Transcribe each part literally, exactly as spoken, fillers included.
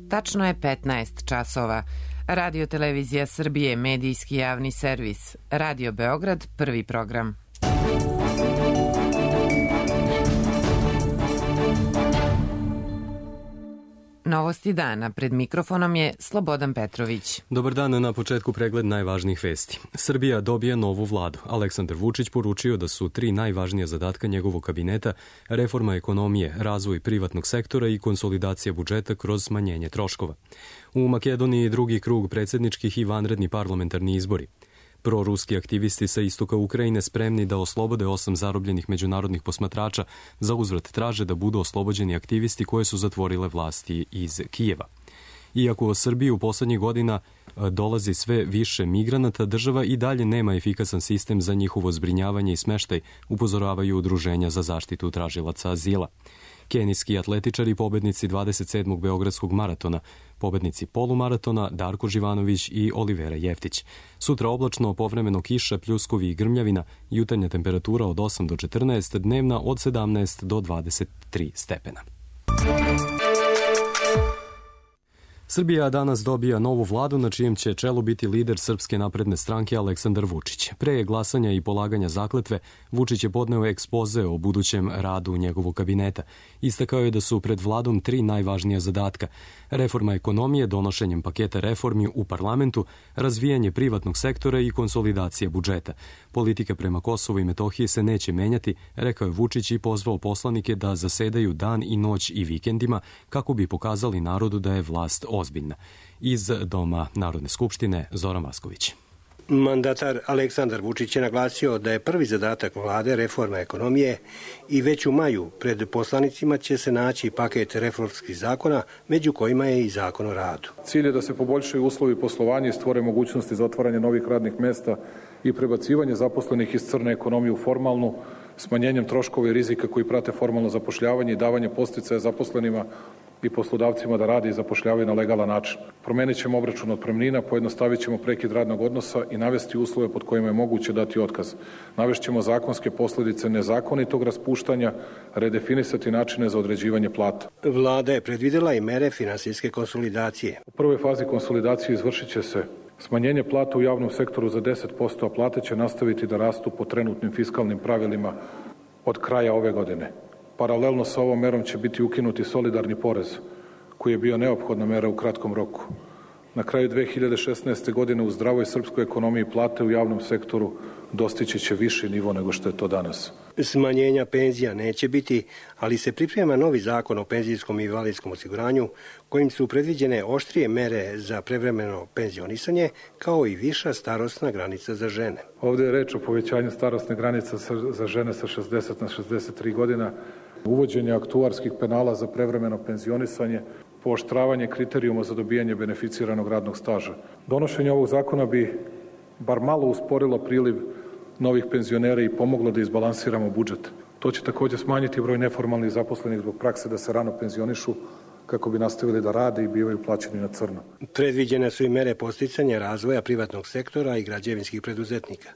Tačno je petnaest časova. Radio Televizija Srbije, medijski javni servis. Radio Beograd, prvi program. Novosti dana. Pred mikrofonom je Slobodan Petrović. Dobar dan, na početku pregled najvažnijih vesti. Srbija dobija novu vladu. Aleksandar Vučić poručio da su tri najvažnija zadatka njegovog kabineta reforma ekonomije, razvoj privatnog sektora i konsolidacija budžeta kroz smanjenje troškova. U Makedoniji drugi krug predsjedničkih i vanredni parlamentarni izbori. Proruski aktivisti sa istoka Ukrajine spremni da oslobode osam zarobljenih međunarodnih posmatrača, za uzvrat traže da budu oslobođeni aktivisti koje su zatvorile vlasti iz Kijeva. Iako u Srbiji u poslednjih godina dolazi sve više migranata, država i dalje nema efikasan sistem za njihovo zbrinjavanje i smeštaj, upozoravaju udruženja za zaštitu tražilaca azila. Kenijski atletičari, pobednici dvadeset sedmog Beogradskog maratona, pobednici polumaratona Darko Živanović i Olivera Jeftić. Sutra oblačno, povremeno kiša, pljuskovi i grmljavina, jutarnja temperatura od osam do četrnaest, dnevna od sedamnaest do dvadeset tri stepena. Srbija danas dobija novu vladu na čijem će čelu biti lider Srpske napredne stranke Aleksandar Vučić. Pre glasanja i polaganja zakletve, Vučić je podneo ekspoze o budućem radu njegovog kabineta. Istakao je da su pred vladom tri najvažnija zadatka: reforma ekonomije donošenjem paketa reformi u parlamentu, razvijanje privatnog sektora i konsolidacija budžeta. Politika prema Kosovu i Metohiji se neće menjati, rekao je Vučić i pozvao poslanike da zasedaju dan i noć i vikendima kako bi pokazali narodu da je vlast ozbiljna. Iz Doma Narodne skupštine, Zoran Vasković. Mandatar Aleksandar Vučić je naglasio da je prvi zadatak vlade reforma ekonomije i već u maju pred poslanicima će se naći paket reformskih zakona, među kojima je i zakon o radu. Cilj je da se poboljšaju uslovi poslovanja i stvore mogućnosti za otvaranje novih radnih mesta i prebacivanje zaposlenih iz crne ekonomije u formalnu, smanjenjem troškova i rizika koji prate formalno zapošljavanje i davanje podsticaja zaposlenima i poslodavcima da rade i zapošljavaju na legalan način. Promenit ćemo obračun otpremnina, pojednostavit ćemo prekid radnog odnosa i navesti uslove pod kojima je moguće dati otkaz. Navešćemo zakonske posledice nezakonitog raspuštanja, redefinisati načine za određivanje plata. Vlada je predvidela i mere finansijske konsolidacije. U prvoj fazi konsolidacije izvršit će se smanjenje plata u javnom sektoru za deset posto, a plate će nastaviti da rastu po trenutnim fiskalnim pravilima od kraja ove godine. Paralelno sa ovom merom će biti ukinuti solidarni porez, koji je bio neophodna mera u kratkom roku. Na kraju dve hiljade šesnaeste. godine u zdravoj srpskoj ekonomiji plate u javnom sektoru dostići će viši nivo nego što je to danas. Smanjenja penzija neće biti, ali se priprema novi zakon o penzijskom i invalidskom osiguranju, kojim su predviđene oštrije mere za prevremeno penzionisanje, kao i viša starosna granica za žene. Ovde je reč o povećanju starosne granice za žene sa šezdeset na šezdeset tri godina, uvođenje aktuarskih penala za prevremeno penzionisanje, pooštravanje kriterijuma za dobijanje beneficiranog radnog staža. Donošenje ovog zakona bi bar malo usporilo priliv novih penzionera i pomoglo da izbalansiramo budžet. To će takođe smanjiti broj neformalnih zaposlenih zbog prakse da se rano penzionišu kako bi nastavili da rade i bivaju plaćeni na crno. Predviđene su i mere podsticanja razvoja privatnog sektora i građevinskih preduzetnika.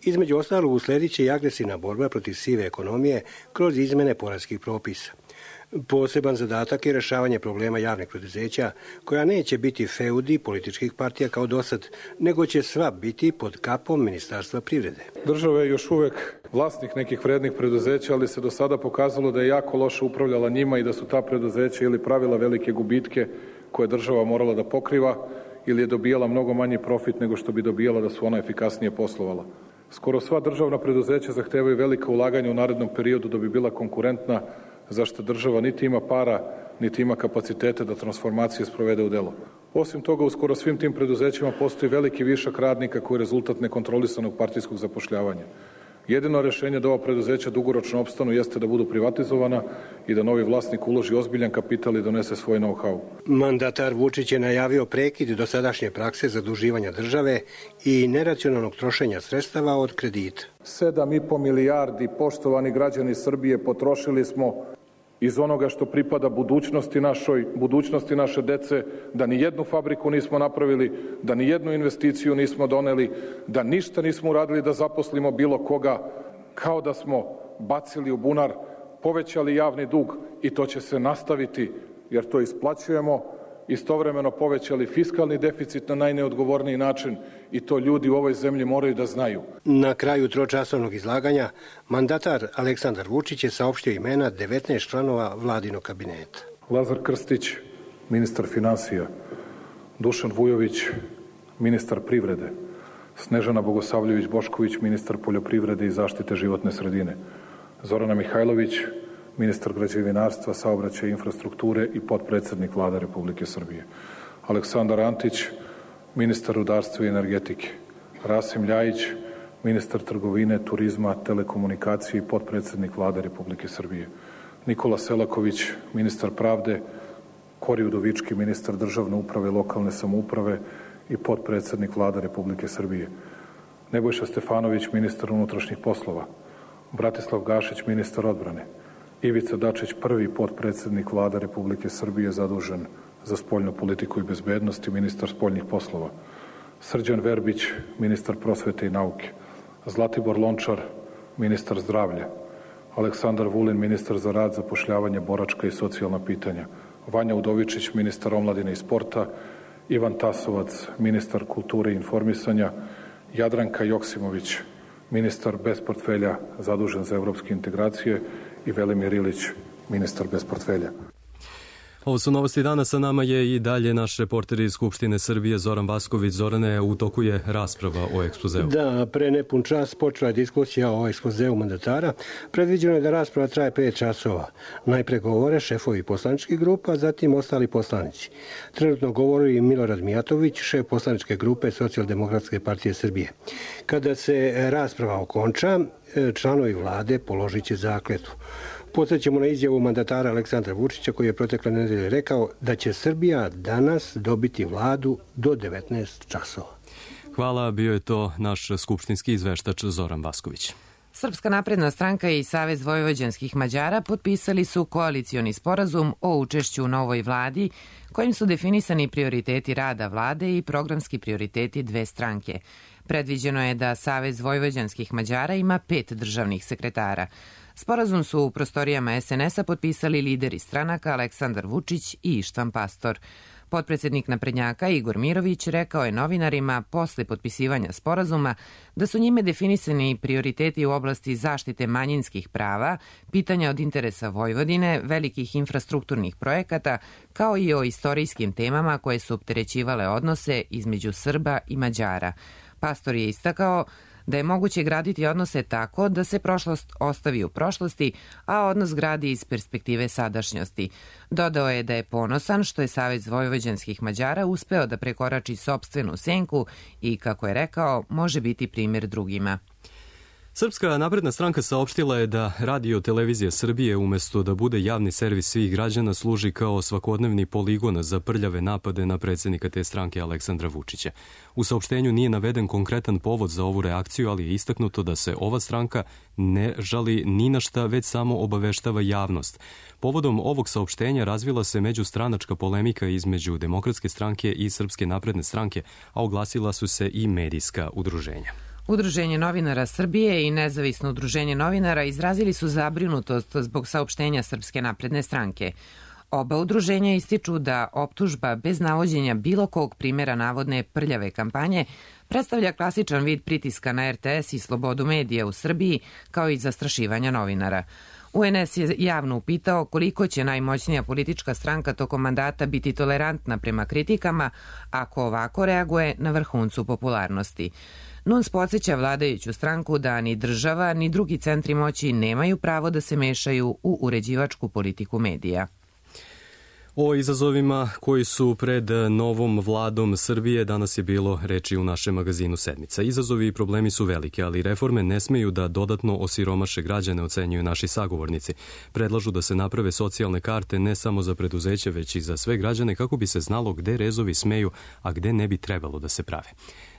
Između ostalog usledit će i agresivna borba protiv sive ekonomije kroz izmene poreskih propisa. Poseban zadatak je rešavanje problema javnih preduzeća, koja neće biti feudi političkih partija kao dosad, nego će sva biti pod kapom Ministarstva privrede. Država je još uvek vlasnik nekih vrednih preduzeća, ali se do sada pokazalo da je jako loše upravljala njima i da su ta preduzeća ili pravila velike gubitke koje država morala da pokriva ili je dobijala mnogo manji profit nego što bi dobijala da su ona efikasnije poslovala. Skoro sva državna preduzeća zahtevaju velika ulaganja u narednom periodu da bi bila konkurentna, zašto država niti ima para, niti ima kapacitete da transformacije sprovede u delo. Osim toga, u skoro svim tim preduzećima postoji veliki višak radnika koji je rezultat nekontrolisanog partijskog zapošljavanja. Jedino rešenje da ova preduzeća dugoročno opstanu jeste da budu privatizovana i da novi vlasnik uloži ozbiljan kapital i donese svoj know-how. Mandatar Vučić je najavio prekid dosadašnje prakse zaduživanja države i neracionalnog trošenja sredstava od kredita. Sedam i po milijardi, poštovani građani Srbije, potrošili smo iz onoga što pripada budućnosti našoj, budućnosti naše dece, da ni jednu fabriku nismo napravili, da ni jednu investiciju nismo doneli, da ništa nismo uradili da zaposlimo bilo koga, kao da smo bacili u bunar, povećali javni dug i to će se nastaviti jer to isplaćujemo istovremeno povećali fiskalni deficit na najneodgovorniji način i to ljudi u ovoj zemlji moraju da znaju. Na kraju tročasovnog izlaganja mandatar Aleksandar Vučić je saopštio imena devetnaest članova vladinog kabineta. Lazar Krstić, ministar finansija, Dušan Vujović, ministar privrede, Snežana Bogosavljević-Bošković, ministar poljoprivrede i zaštite životne sredine, Zorana Mihajlović, ministar građevinarstva, saobraćaja i infrastrukture i potpredsednik Vlade Republike Srbije, Aleksandar Antić, ministar rudarstva i energetike, Rasim Ljajić, ministar trgovine, turizma, telekomunikacije i potpredsednik Vlade Republike Srbije, Nikola Selaković, ministar pravde, Kori Udovički, ministar državne uprave i lokalne samouprave i potpredsednik Vlade Republike Srbije, Nebojša Stefanović, ministar unutrašnjih poslova, Bratislav Gašić, ministar odbrane, Ivica Dačić, prvi potpredsednik Vlade Republike Srbije zadužen za spoljnu politiku i bezbednost i ministar spoljnih poslova, Srđan Verbić, ministar prosvete i nauke, Zlatibor Lončar, ministar zdravlja, Aleksandar Vulin, ministar za rad, zapošljavanje, boračka i socijalna pitanja, Vanja Udovičić, ministar omladine i sporta, Ivan Tasovac, ministar kulture i informisanja, Jadranka Joksimović, ministar bez portfelja zadužen za evropske integracije i Velimir Ilić, ministar bez portfelja. Ovo su novosti dana, sa nama je i dalje naš reporter iz Skupštine Srbije Zoran Vasković. Zorane, u toku je rasprava o ekspozeu. Da, pre nepun čas počela je diskusija o ekspozeu mandatara. Predviđeno je da rasprava traje pet časova. Najpre govore šefovi poslaničkih grupa, zatim ostali poslanici. Trenutno govori i Milorad Mijatović, šef poslaničke grupe Socijaldemokratske partije Srbije. Kada se rasprava okonča, članovi vlade položit će zakletvu. Podsjećamo na izjavu mandatara Aleksandra Vučića koji je protekle nedelje rekao da će Srbija danas dobiti vladu do devetnaest časova. Hvala, bio je to naš skupštinski izveštač Zoran Vasković. Srpska napredna stranka i Savez vojvođanskih Mađara potpisali su koalicioni sporazum o učešću u novoj vladi kojim su definisani prioriteti rada vlade i programski prioriteti dve stranke. Predviđeno je da Savez vojvođanskih Mađara ima pet državnih sekretara. Sporazum su u prostorijama es en es-a potpisali lideri stranaka Aleksandar Vučić i Ištvan Pastor. Potpredsednik naprednjaka Igor Mirović rekao je novinarima posle potpisivanja sporazuma da su njime definisani prioriteti u oblasti zaštite manjinskih prava, pitanja od interesa Vojvodine, velikih infrastrukturnih projekata, kao i o istorijskim temama koje su opterećivale odnose između Srba i Mađara. Pastor je istakao da je moguće graditi odnose tako da se prošlost ostavi u prošlosti, a odnos gradi iz perspektive sadašnjosti. Dodao je da je ponosan što je Savez vojvođanskih Mađara uspeo da prekorači sopstvenu senku i, kako je rekao, može biti primjer drugima. Srpska napredna stranka saopštila je da Radio Televizija Srbije umesto da bude javni servis svih građana služi kao svakodnevni poligon za prljave napade na predsjednika te stranke Aleksandra Vučića. U saopštenju nije naveden konkretan povod za ovu reakciju, ali je istaknuto da se ova stranka ne žali ni na šta, već samo obaveštava javnost. Povodom ovog saopštenja razvila se međustranačka polemika između Demokratske stranke i Srpske napredne stranke, a oglasila su se i medijska udruženja. Udruženje novinara Srbije i Nezavisno udruženje novinara izrazili su zabrinutost zbog saopštenja Srpske napredne stranke. Oba udruženja ističu da optužba bez navođenja bilo kog primjera navodne prljave kampanje predstavlja klasičan vid pritiska na er te es i slobodu medija u Srbiji, kao i zastrašivanja novinara. U en es je javno upitao koliko će najmoćnija politička stranka tokom mandata biti tolerantna prema kritikama ako ovako reaguje na vrhuncu popularnosti. N U N S podsjeća vladajuću stranku da ni država ni drugi centri moći nemaju pravo da se mešaju u uređivačku politiku medija. O izazovima koji su pred novom vladom Srbije danas je bilo reči u našem magazinu Sedmica. Izazovi i problemi su velike, ali reforme ne smeju da dodatno osiromaše građane, ocenjuju naši sagovornici. Predlažu da se naprave socijalne karte ne samo za preduzeće, već i za sve građane kako bi se znalo gde rezovi smeju, a gde ne bi trebalo da se prave.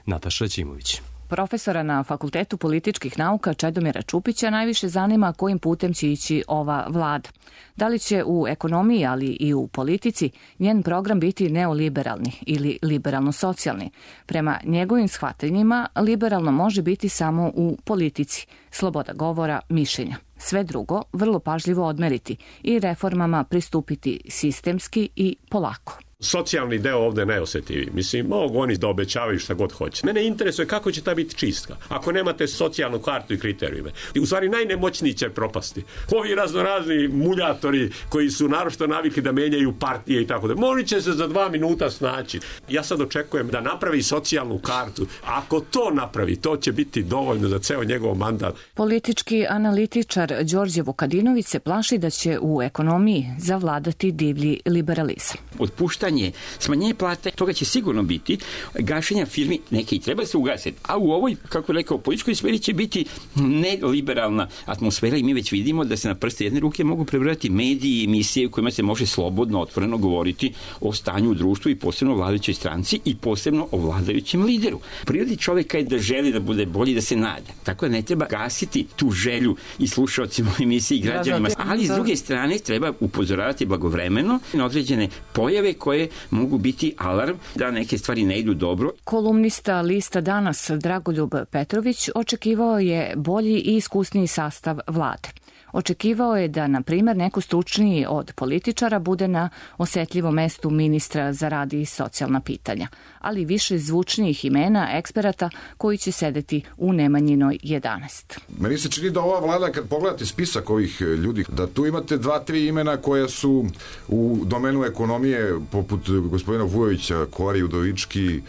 Nataša Ćimović. Profesora na Fakultetu političkih nauka Čedomira Čupića najviše zanima kojim putem će ići ova vlada. Da li će u ekonomiji, ali i u politici, njen program biti neoliberalni ili liberalno-socijalni? Prema njegovim shvatanjima, liberalno može biti samo u politici, sloboda govora, mišljenja. Sve drugo vrlo pažljivo odmeriti i reformama pristupiti sistemski i polako. Socijalni deo ovde je najosetljiviji. Mislim, mogu oni da obećavaju šta god hoće. Mene interesuje kako će ta biti čistka. Ako nemate socijalnu kartu i kriterijume. I u stvari najnemoćniji će propasti. Ovi raznorazni muljatori koji su naročito navikli da menjaju partije i tako da. Oni će se za dva minuta snaći. Ja sad očekujem da napravi socijalnu kartu. Ako to napravi, to će biti dovoljno za ceo njegov mandat. Politički analitičar Đorđe Vukadinović se plaši da će u ekonomiji zavladati divlji liberalizam. Otpuštanje, smanjenje plate, toga će sigurno biti, gašenja firmi, neke i treba se ugasiti, a u ovoj, kako rekao, političkoj sferi će biti neliberalna atmosfera i mi već vidimo da se na prste jedne ruke mogu prebrojati mediji i emisije u kojima se može slobodno, otvoreno govoriti o stanju u društvu i posebno o vladajućoj stranci i posebno o vladajućem lideru. Prirodi čoveka je da želi da bude bolji, da se nada. Tako da ne treba gasiti tu želju i slušaocima u emisiji i građanima, ali s druge strane treba upozoravati blagovremeno na određene pojave koje mogu biti alarm da neke stvari ne idu dobro. Kolumnista lista Danas Dragoljub Petrović očekivao je bolji i iskusniji sastav vlade. Očekivao je da, na primjer, neko stručniji od političara bude na osetljivom mestu ministra za rad i socijalna pitanja, ali više zvučnijih imena eksperata koji će sedeti u Nemanjinoj jedanaest. Meni se čini da ova vlada, kad pogledate spisak ovih ljudi, da tu imate dva, tri imena koja su u domenu ekonomije, poput gospodina Vujovića, Kori, Udovički,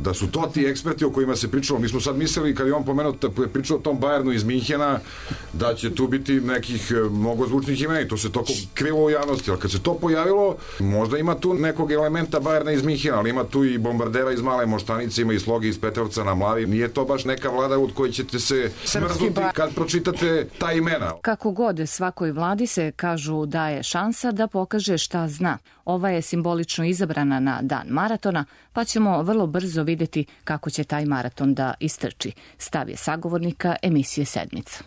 da su to ti eksperti o kojima se pričalo. Mi smo sad mislili, kad je on pomenuo, pričao o tom Bayernu iz Minhena, da će tu biti nekih mnogo zvučnih imena i to se toliko krilo u javnosti, ali kad se to pojavilo, možda ima tu nekog elementa Bayerna iz Minhena, ali ima tu i bombardera iz Male Moštanice, ima i Sloge iz Petrovca na Mlavi. Nije to baš neka vlada od koje ćete se smrznuti kad pročitate ta imena. Kako god, svakoj vladi se, kažu, daje šansa da pokaže šta zna. Ova je simbolično izabrana na dan maratona, pa ćemo vrlo brzo videti kako će taj maraton da istrči. Stav je sagovornika emisije Sedmica.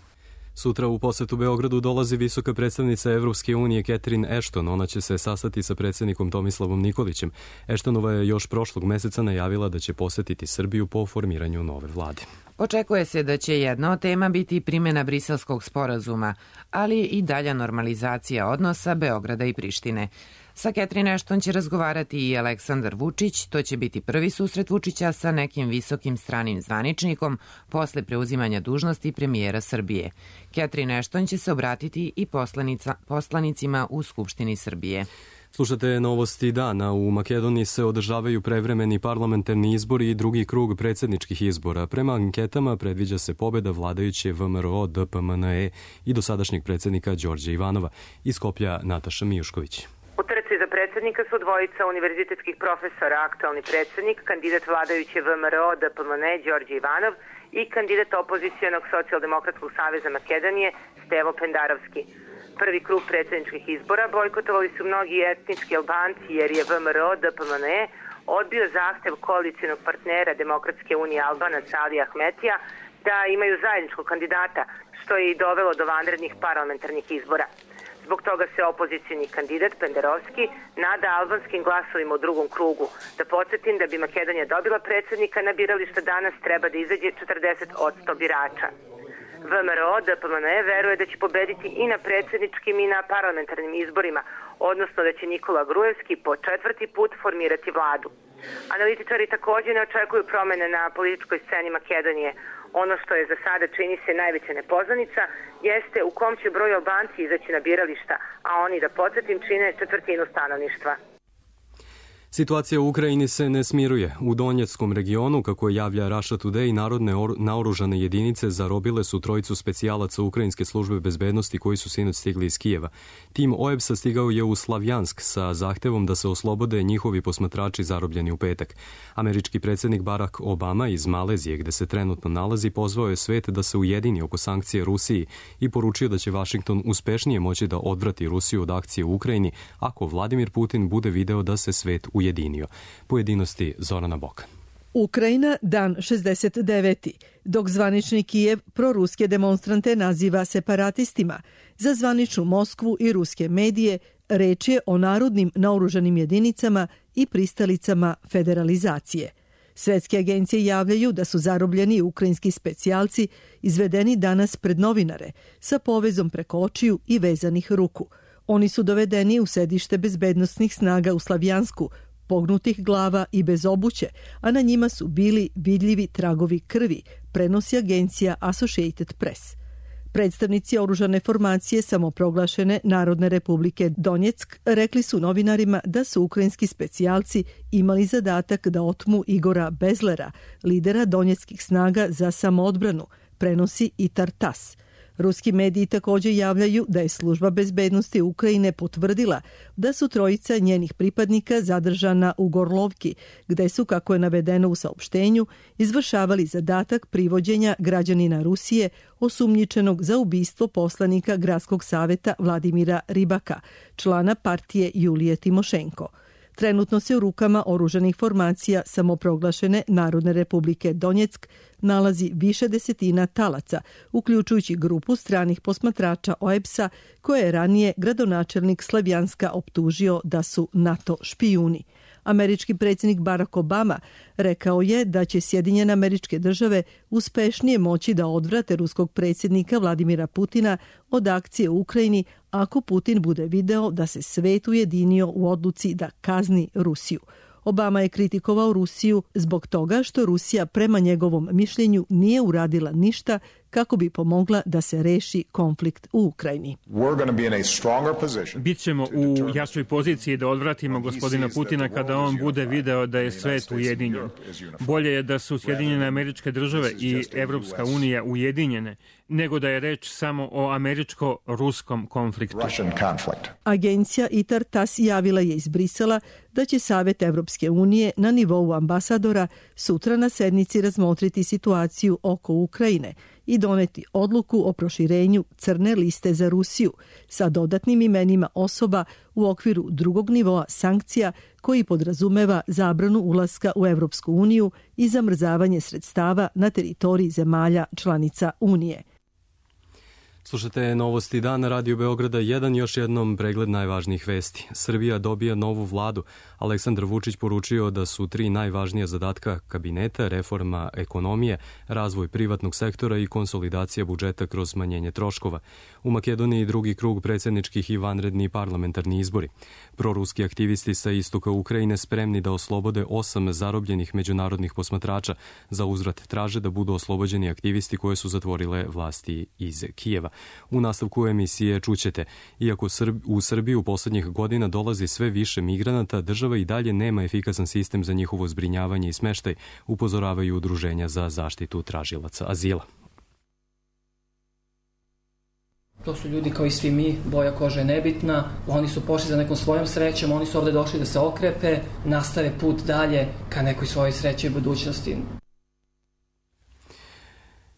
Sutra u posetu Beogradu dolazi visoka predstavnica Evropske unije Catherine Ashton. Ona će se sastati sa predsjednikom Tomislavom Nikolićem. Ashtonova je još prošlog meseca najavila da će posetiti Srbiju po formiranju nove vlade. Očekuje se da će jedna od tema biti primjena Briselskog sporazuma, ali i dalja normalizacija odnosa Beograda i Prištine. Sa Catherine Ashton će razgovarati i Aleksandar Vučić. To će biti prvi susret Vučića sa nekim visokim stranim zvaničnikom posle preuzimanja dužnosti premijera Srbije. Catherine Ashton će se obratiti i poslanicima u Skupštini Srbije. Slušate novosti dana. U Makedoniji se održavaju prevremeni parlamentarni izbori i drugi krug predsjedničkih izbora. Prema anketama predviđa se pobjeda vladajuće V M R O D P M N E i dosadašnjeg predsjednika Đorđa Ivanova. Iz Skoplja Nataša Mijušković. U trci za predsjednika su dvojica univerzitetskih profesora, aktualni predsjednik, kandidat vladajuće V M R O D P M N E Đorđe Ivanov i kandidat opozicijonog socijaldemokratskog saveza Makedonije Stevo Pendarovski. Prvi krug predsjedničkih izbora bojkotovali su mnogi etnički Albanci jer je V M R O D P M N E odbio zahtev koalicijonog partnera Demokratske unije Albanaca Alija Ahmetija da imaju zajedničkog kandidata, što je i dovelo do vanrednih parlamentarnih izbora. Zbog toga se opozicijni kandidat Pendarovski nada albanskim glasovima u drugom krugu. Da podsjetim da bi Makedonija dobila predsjednika na birališta danas treba da izađe četrdeset posto birača. V M R O D P M N E veruje da će pobediti i na predsjedničkim i na parlamentarnim izborima, odnosno da će Nikola Grujevski po četvrti put formirati vladu. Analitičari također ne očekuju promjene na političkoj sceni Makedonije. Ono što je za sada čini se najveća nepoznanica jeste u kom će broj Albanci izaći na birališta, a oni, da podsjetim, čine četvrtinu stanovništva. Situacija u Ukrajini se ne smiruje. U Donjeckom regionu, kako je javlja Russia Today, narodne naoružane jedinice zarobile su trojicu specijalaca Ukrajinske službe bezbednosti koji su sinoć stigli iz Kijeva. Tim O E B S-a stigao je u Slavjansk sa zahtevom da se oslobode njihovi posmatrači zarobljeni u petak. Američki predsjednik Barack Obama iz Malezije, gde se trenutno nalazi, pozvao je svet da se ujedini oko sankcije Rusiji i poručio da će Vašington uspešnije moći da odvrati Rusiju od akcije u Ukrajini ako Vladimir Putin bude video da se svet ujedinio. Ujedinio. Pojedinosti Zorana Boka. Ukrajina, dan šezdeset deveti. Dok zvanični Kijev proruske demonstrante naziva separatistima, za zvaničnu Moskvu i ruske medije reč je o narodnim naoružanim jedinicama i pristalicama federalizacije. Svetske agencije javljaju da su zarobljeni ukrajinski specijalci izvedeni danas pred novinare sa povezom preko očiju i vezanih ruku. Oni su dovedeni u sedište bezbednostnih snaga u Slavjansku, pognutih glava i bez obuće, a na njima su bili vidljivi tragovi krvi, prenosi agencija Associated Press. Predstavnici oružane formacije samoproglašene Narodne republike Donjeck rekli su novinarima da su ukrajinski specijalci imali zadatak da otmu Igora Bezlera, lidera donjeckih snaga za samoodbranu, prenosi i Tartas. Ruski mediji također javljaju da je služba bezbednosti Ukrajine potvrdila da su trojica njenih pripadnika zadržana u Gorlovki, gde su, kako je navedeno u saopštenju, izvršavali zadatak privođenja građanina Rusije osumnjičenog za ubistvo poslanika Gradskog saveta Vladimira Ribaka, člana partije Julije Timošenko. Trenutno se u rukama oružanih formacija samoproglašene Narodne republike Donjeck nalazi više desetina talaca, uključujući grupu stranih posmatrača O E B S-a, koje je ranije gradonačelnik Slavjanska optužio da su NATO špijuni. Američki predsjednik Barack Obama rekao je da će Sjedinjene Američke Države uspešnije moći da odvrate ruskog predsjednika Vladimira Putina od akcije u Ukrajini ako Putin bude video da se svet ujedinio u odluci da kazni Rusiju. Obama je kritikovao Rusiju zbog toga što Rusija prema njegovom mišljenju nije uradila ništa kako bi pomogla da se reši konflikt u Ukrajini. Bićemo u jačoj poziciji da odvratimo gospodina Putina kada on bude video da je svet ujedinjen. Bolje je da su Sjedinjene Američke Države i Evropska unija ujedinjene, nego da je reč samo o američko-ruskom konfliktu. Agencija I T A R TASS javila je iz Brisela da će Savet Evropske unije na nivou ambasadora sutra na sednici razmotriti situaciju oko Ukrajine i doneti odluku o proširenju crne liste za Rusiju sa dodatnim imenima osoba u okviru drugog nivoa sankcija koji podrazumeva zabranu ulaska u Evropsku uniju i zamrzavanje sredstava na teritoriji zemalja članica Unije. Slušate Novosti dana Radio Beograda jedan, još jednom pregled najvažnijih vesti. Srbija dobija novu vladu. Aleksandar Vučić poručio da su tri najvažnija zadatka kabineta, reforma ekonomije, razvoj privatnog sektora i konsolidacija budžeta kroz smanjenje troškova. U Makedoniji drugi krug predsjedničkih i vanredni parlamentarni izbori. Proruski aktivisti sa istoka Ukrajine spremni da oslobode osam zarobljenih međunarodnih posmatrača. Za uzvrat traže da budu oslobođeni aktivisti koje su zatvorile vlasti iz Kijeva. U nastavku emisije čućete, iako u Srbiju u poslednjih godina dolazi sve više migranata, država i dalje nema efikasan sistem za njihovo zbrinjavanje i smeštaj, upozoravaju udruženja za zaštitu tražilaca azila. To su ljudi kao i svi mi, boja kože je nebitna, oni su pošli za nekom svojom srećom, oni su ovde došli da se okrepe, nastave put dalje ka nekoj svojoj sreći i budućnosti.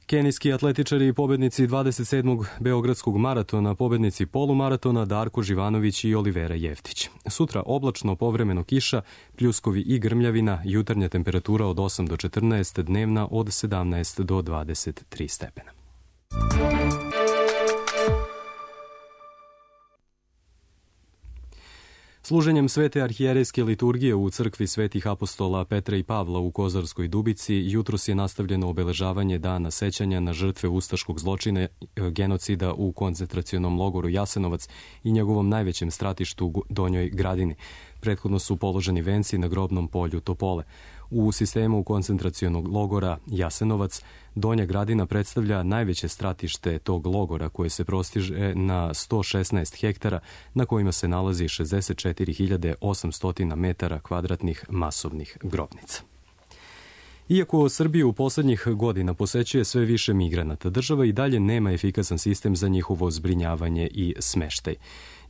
Kenijski atletičari i pobednici dvadeset sedmog Beogradskog maratona, pobednici polumaratona Darko Živanović i Olivera Jeftić. Sutra oblačno, povremeno kiša, pljuskovi i grmljavina, jutarnja temperatura od osam do četrnaest, dnevna od sedamnaest do dvadeset tri stepena. Služenjem svete arhijerejske liturgije u crkvi svetih apostola Petra i Pavla u Kozarskoj Dubici jutros je nastavljeno obeležavanje dana sećanja na žrtve ustaškog zločina genocida u koncentracionom logoru Jasenovac i njegovom najvećem stratištu Donjoj Gradini. Prethodno su položeni venci na grobnom polju Topole. U sistemu koncentracionog logora Jasenovac Donja Gradina predstavlja najveće stratište tog logora koje se prostiže na sto šesnaest hektara na kojima se nalazi šezdeset četiri hiljade osamsto metara kvadratnih masovnih grobnica. Iako Srbiju u poslednjih godina posećuje sve više migranata, država i dalje nema efikasan sistem za njihovo zbrinjavanje i smeštaj.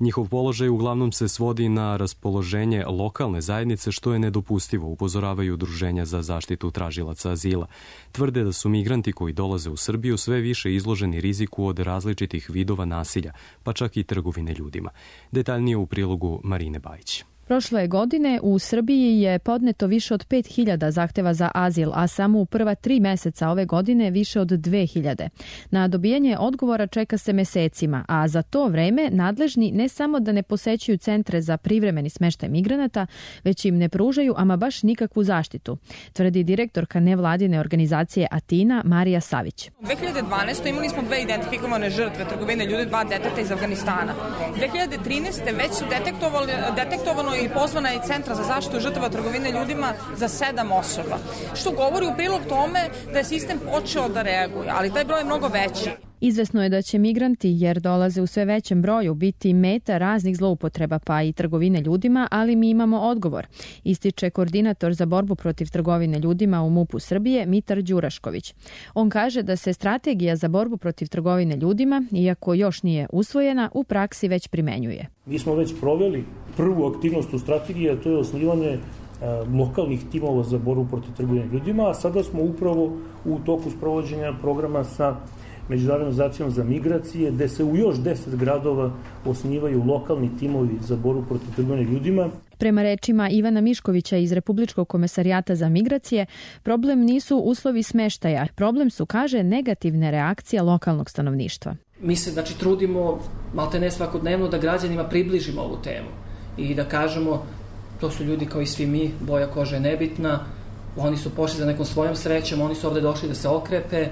Njihov položaj uglavnom se svodi na raspoloženje lokalne zajednice, što je nedopustivo, upozoravaju udruženja za zaštitu tražilaca azila. Tvrde da su migranti koji dolaze u Srbiju sve više izloženi riziku od različitih vidova nasilja, pa čak i trgovine ljudima. Detaljnije u prilogu Marine Bajić. Prošle godine u Srbiji je podneto više od pet hiljada zahteva za azil, a samo u prva tri meseca ove godine više od dve hiljade. Na dobijanje odgovora čeka se mesecima, a za to vreme nadležni ne samo da ne posećuju centre za privremeni smeštaj migranata, već im ne pružaju ama baš nikakvu zaštitu, tvrdi direktorka nevladine organizacije Atina Marija Savić. U dve hiljade dvanaestoj. imali smo dve identifikovane žrtve trgovine ljudi, dva deteta iz Afganistana. dve hiljade trinaeste. već su detektovano i pozvana je Centra za zaštitu žrtava trgovine ljudima za sedam osoba, što govori u prilog tome da je sistem počeo da reaguje, ali taj broj je mnogo veći. Izvesno je da će migranti, jer dolaze u sve većem broju, biti meta raznih zloupotreba pa i trgovine ljudima, ali mi imamo odgovor, ističe koordinator za borbu protiv trgovine ljudima u MUP-u Srbije Mitar Đurašković. On kaže da se strategija za borbu protiv trgovine ljudima, iako još nije usvojena, u praksi već primenjuje. Mi smo već proveli prvu aktivnost u strategiji, a to je osnivanje lokalnih timova za borbu protiv trgovine ljudima, a sada smo upravo u toku sprovođenja programa sa Međunarodnom organizacijom za migracije, gde se u još deset gradova osnivaju lokalni timovi za borbu protiv trgovine ljudima. Prema rečima Ivana Miškovića iz Republičkog komesarijata za migracije, problem nisu uslovi smeštaja. Problem su, kaže, negativne reakcije lokalnog stanovništva. Mi se znači trudimo malte ne svakodnevno da građanima približimo ovu temu i da kažemo to su ljudi kao i svi mi, boja kože je nebitna, oni su pošli za nekom svojom srećom, oni su ovde došli da se okrepe,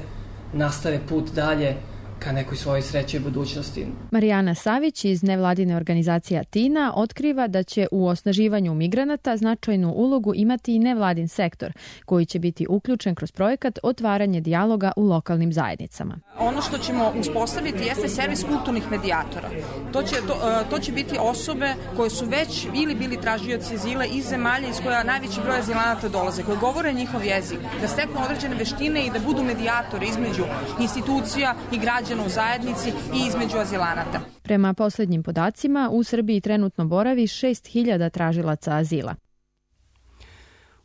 nastave put dalje ka nekoj svojoj sreći i budućnosti. Marijana Savić iz nevladine organizacije Atina otkriva da će u osnaživanju migranata značajnu ulogu imati i nevladin sektor, koji će biti uključen kroz projekat Otvaranje dijaloga u lokalnim zajednicama. Ono što ćemo uspostaviti jeste servis kulturnih medijatora. To će, to, to će biti osobe koje su već ili bili tražioci azila iz zemalja iz koja najveći broj azilanata dolaze, koji govore njihov jezik, da steknu određene veštine i da budu medijatori između institucija i građana u zajednici i između azilanata. Prema poslednjim podacima, u Srbiji trenutno boravi šest hiljada tražilaca azila.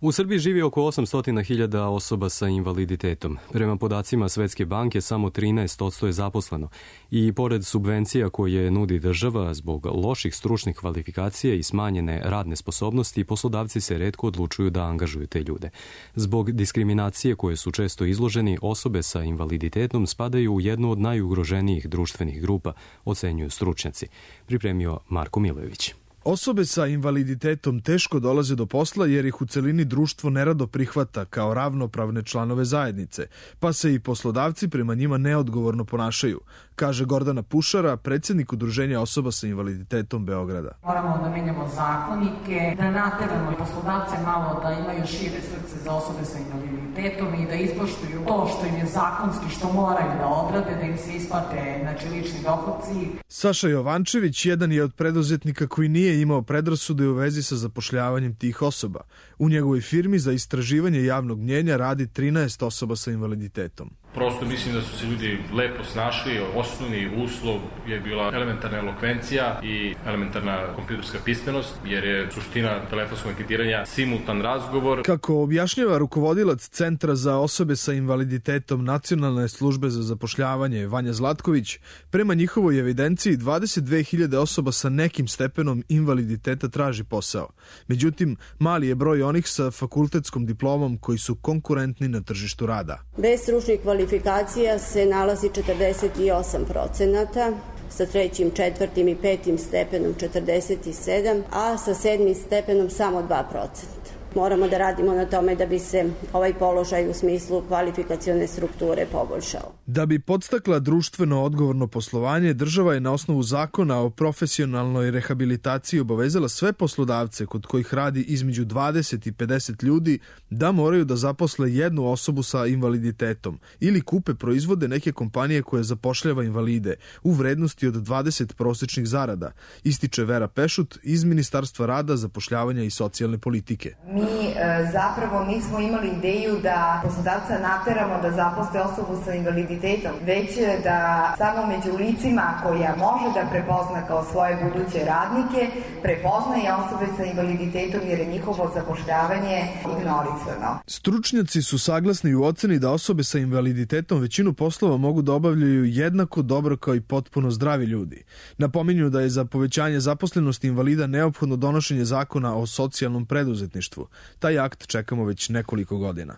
U Srbiji živi oko osamsto hiljada osoba sa invaliditetom. Prema podacima Svetske banke, samo trinaest posto je zaposleno. I pored subvencija koje nudi država zbog loših stručnih kvalifikacija i smanjene radne sposobnosti, poslodavci se retko odlučuju da angažuju te ljude. Zbog diskriminacije koje su često izloženi, osobe sa invaliditetom spadaju u jednu od najugroženijih društvenih grupa, ocenjuju stručnjaci. Pripremio Marko Milojević. Osobe sa invaliditetom teško dolaze do posla jer ih u celini društvo nerado prihvata kao ravnopravne članove zajednice, pa se i poslodavci prema njima neodgovorno ponašaju, kaže Gordana Pušara, predsjednik Udruženja osoba sa invaliditetom Beograda. Moramo da menjamo zakonike, da nateramo poslodavce malo da imaju šire srce za osobe sa invaliditetom i da ispoštuju to što im je zakonski, što moraju da odrade, da im se isplate znači, lični dohodci. Saša Jovančević jedan je od preduzetnika koji nije imao predrasude u vezi sa zapošljavanjem tih osoba. U njegovoj firmi za istraživanje javnog mnjenja radi trinaest osoba sa invaliditetom. Prosto mislim da su se ljudi lepo snašli, osnovni uslov je bila elementarna elokvencija i elementarna kompjuterska pismenost, jer je suština telefonskog anketiranja simultan razgovor. Kako objašnjava rukovodilac Centra za osobe sa invaliditetom Nacionalne službe za zapošljavanje Vanja Zlatković, prema njihovoj evidenciji dvadeset dve hiljade osoba sa nekim stepenom invaliditeta traži posao. Međutim, mali je broj onih sa fakultetskom diplomom koji su konkurentni na tržištu rada. Bez stručnih kvalifikacija se nalazi četrdeset osam procenata, sa trećim, četvrtim i petim stepenom četrdeset sedam, a sa sedmim stepenom samo dva procenta. Moramo da radimo na tome da bi se ovaj položaj u smislu kvalifikacione strukture poboljšao. Da bi podstakla društveno odgovorno poslovanje, država je na osnovu zakona o profesionalnoj rehabilitaciji obavezala sve poslodavce kod kojih radi između dvadeset i pedeset ljudi da moraju da zaposle jednu osobu sa invaliditetom ili kupe proizvode neke kompanije koje zapošljava invalide u vrednosti od dvadeset prosečnih zarada, ističe Vera Pešut iz Ministarstva rada, zapošljavanja i socijalne politike. Mi e, zapravo nismo imali ideju da poslodavca nateramo da zaposle osobu sa invaliditetom, već da samo među licima koja može da prepozna kao svoje buduće radnike, prepozna i osobe sa invaliditetom jer je njihovo zapošljavanje ignorisano. Stručnjaci su saglasni u oceni da osobe sa invaliditetom većinu poslova mogu da obavljaju jednako dobro kao i potpuno zdravi ljudi. Napominju da je za povećanje zaposlenosti invalida neophodno donošenje zakona o socijalnom preduzetništvu. Taj akt čekamo već nekoliko godina.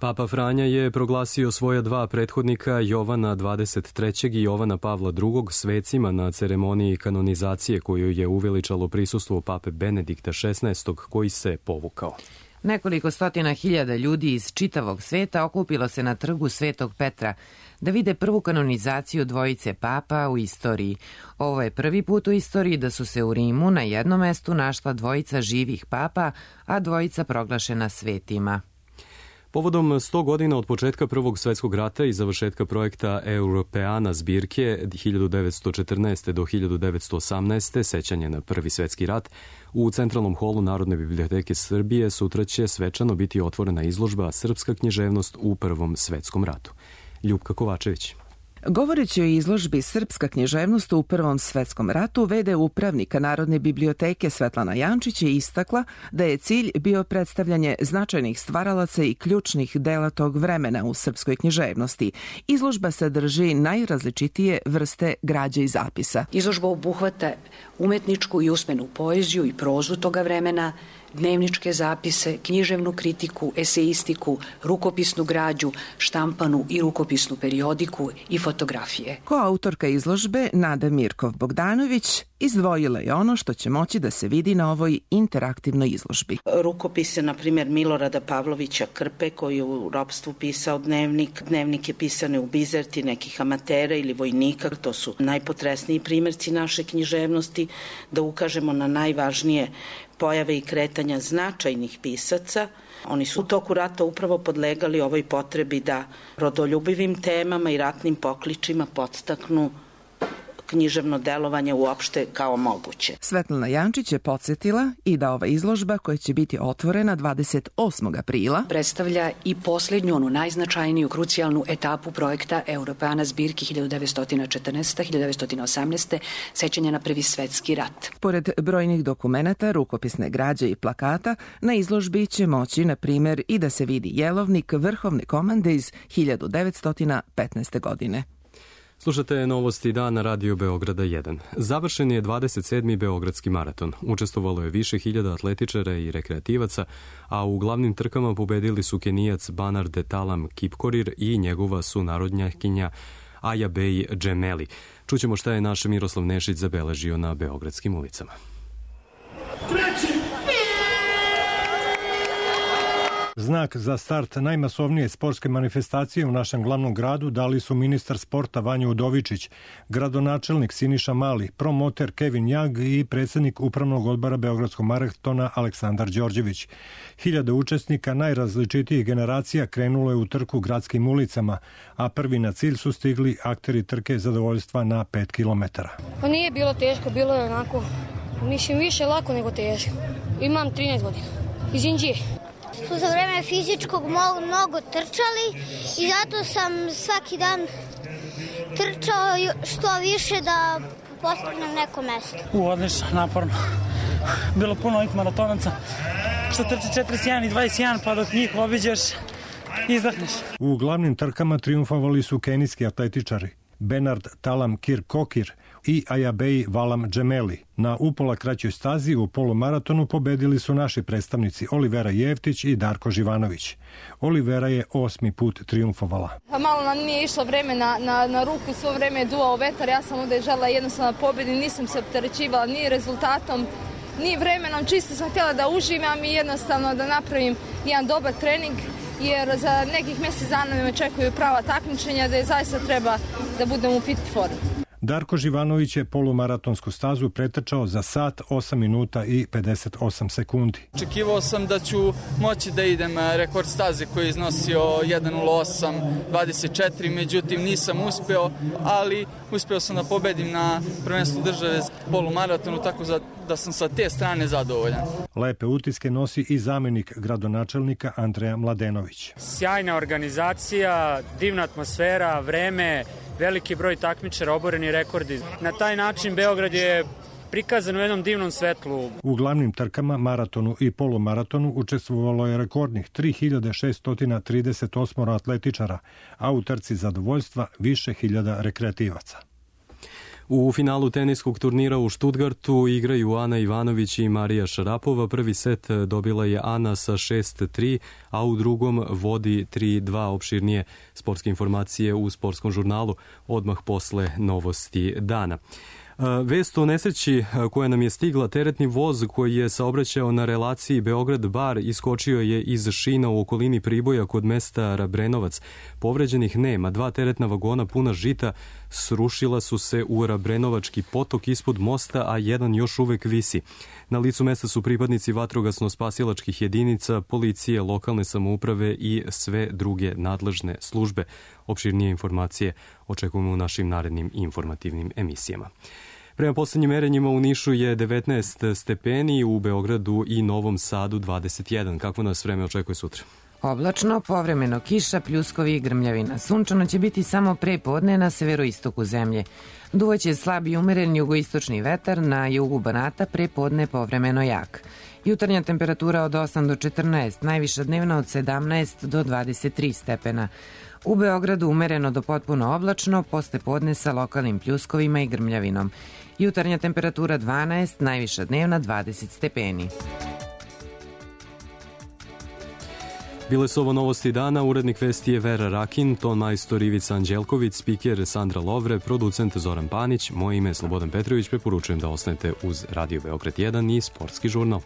Papa Franja je proglasio svoja dva prethodnika, Jovana dvadeset trećeg i Jovana Pavla drugog, svecima na ceremoniji kanonizacije koju je uveličalo prisustvo pape Benedikta šesnaestog koji se povukao. Nekoliko stotina hiljada ljudi iz čitavog sveta okupilo se na trgu Svetog Petra da vide prvu kanonizaciju dvojice papa u istoriji. Ovo je prvi put u istoriji da su se u Rimu na jednom mestu našla dvojica živih papa, a dvojica proglašena svetima. Povodom sto godina od početka Prvog svetskog rata i završetka projekta Europeana zbirke hiljadu devetsto četrnaeste. do hiljadu devetsto osamnaeste. sećanje na Prvi svetski rat, u Centralnom holu Narodne biblioteke Srbije sutra će svečano biti otvorena izložba Srpska književnost u Prvom svetskom ratu. Ljupka Kovačević. Govoreći o izložbi Srpska književnost u Prvom svetskom ratu, v d upravnika Narodne biblioteke Svetlana Jančić je istakla da je cilj bio predstavljanje značajnih stvaralaca i ključnih dela tog vremena u srpskoj književnosti. Izložba sadrži najrazličitije vrste građe i zapisa. Izložba obuhvata umetničku i usmenu poeziju i prozu toga vremena, dnevničke zapise, književnu kritiku, eseistiku, rukopisnu građu, štampanu i rukopisnu periodiku i fotografije. Koautorka izložbe Nada Mirkov Bogdanović izdvojila je ono što će moći da se vidi na ovoj interaktivnoj izložbi. Rukopise, na primjer, Milorada Pavlovića Krpe, koji je u ropstvu pisao dnevnik. Dnevnik je pisane u Bizerti nekih amatera ili vojnika. To su najpotresniji primjerci naše književnosti, da ukažemo na najvažnije pojave i kretanja značajnih pisaca. Oni su u toku rata upravo podlegali ovoj potrebi da rodoljubivim temama i ratnim pokličima podstaknu književno delovanje uopšte kao moguće. Svetlana Jančić je podsjetila i da ova izložba, koja će biti otvorena dvadeset osmog aprila, predstavlja i posljednju, onu najznačajniju, krucijalnu etapu projekta Europeana zbirki hiljadu devetsto četrnaeste. do hiljadu devetsto osamnaeste. sećanja na Prvi svetski rat. Pored brojnih dokumenata, rukopisne građe i plakata, na izložbi će moći, na primjer, i da se vidi jelovnik vrhovne komande iz hiljadu devetsto petnaeste. godine. Slušate novosti dana Radio Beograda jedan. Završen je dvadeset sedmi Beogradski maraton. Učestvovalo je više hiljada atletičara i rekreativaca, a u glavnim trkama pobedili su Kenijac Banard Talam Kipkorir i njegova sunarodnjakinja Aja Bey Džemeli. Čućemo šta je naš Miroslav Nešić zabeležio na beogradskim ulicama. Treći! Znak za start najmasovnije sportske manifestacije u našem glavnom gradu dali su ministar sporta Vanja Udovičić, gradonačelnik Siniša Mali, promoter Kevin Jag i predsjednik upravnog odbora Beogradskog maratona Aleksandar Đorđević. Hiljade učesnika najrazličitijih generacija krenulo je u trku gradskim ulicama, a prvi na cilj su stigli akteri trke zadovoljstva na pet kilometara. Pa nije bilo teško, bilo je onako, mislim, više lako nego teško. Imam trinaest godina, iz Inđije. Su za vreme fizičkog mnogo trčali i zato sam svaki dan trčao što više da postignem neko mesto. U, odlično, naporno. Bilo puno ovih maratonaca što trče četrdeset jedan i dvadeset jedan, pa dok njih obiđeš, izdahneš. U glavnim trkama triumfovali su kenijski atletičari Benard Talam Kirkokir i Aja Bey Valam Džemeli. Na upola kraćoj stazi u polumaratonu pobedili su naši predstavnici Olivera Jevtić i Darko Živanović. Olivera je osmi put triumfovala. Pa malo nam nije išlo vreme na, na, na ruku, svo vreme je duvao vetar, ja sam ovdje žela jednostavno pobedi, nisam se opterećivala ni rezultatom, ni vremenom, čisto sam htjela da uživam i jednostavno da napravim jedan dobar trening, jer za nekih mjesec dana me čekaju prava takmičenja da je zaista treba da budem u fit formi. Darko Živanović je polumaratonsku stazu pretrčao za sat, osam minuta i pedeset osam sekundi. Očekivao sam da ću moći da idem rekord staze koji je iznosio jedan nula osam dvadeset četiri, međutim nisam uspeo, ali uspeo sam da pobedim na prvenstvu države polumaratonu, tako da sam sa te strane zadovoljan. Lepe utiske nosi i zamjenik gradonačelnika Andreja Mladenović. Sjajna organizacija, divna atmosfera, vreme, veliki broj takmičara, oboreni rekordi. Na taj način Beograd je prikazan u jednom divnom svetlu. U glavnim trkama, maratonu i polumaratonu učestvovalo je rekordnih tri hiljade šesto trideset osam atletičara, a u trci zadovoljstva više hiljada rekreativaca. U finalu teniskog turnira u Štutgartu igraju Ana Ivanović i Marija Šarapova. Prvi set dobila je Ana sa šest tri, a u drugom vodi tri dva. Opširnije sportske informacije u sportskom žurnalu odmah posle novosti dana. Vest o nesreći koja nam je stigla, teretni voz koji je saobraćao na relaciji Beograd-Bar iskočio je iz šina u okolini Priboja kod mesta Rabrenovac. Povređenih nema, dva teretna vagona puna žita srušila su se u Rabrenovački potok ispod mosta, a jedan još uvek visi. Na licu mesta su pripadnici vatrogasno-spasilačkih jedinica, policije, lokalne samouprave i sve druge nadležne službe. Opširnije informacije očekujemo u našim narednim informativnim emisijama. Prema poslednjim merenjima u Nišu je devetnaest stepeni, u Beogradu i Novom Sadu dvadeset jedan. Kako nas vreme očekuje sutra? Oblačno, povremeno kiša, pljuskovi i grmljavina. Sunčano će biti samo pre podne na severoistoku zemlje. Duvaće slab i umeren jugoistočni vetar, na jugu Banata pre podne povremeno jak. Jutarnja temperatura od osam do četrnaest, najviša dnevna od sedamnaest do dvadeset tri stepena. U Beogradu umereno do potpuno oblačno, posle podne sa lokalnim pljuskovima i grmljavinom. Jutarnja temperatura dvanaest, najviša dnevna dvadeset stepeni. Bile su ovo novosti dana, urednik vesti je Vera Rakin, ton majstor Ivica Anđelković, spiker Sandra Lovre, producent Zoran Panić, moje ime je Slobodan Petrović, preporučujem da ostanete uz Radio Beograd jedan i Sportski žurnal.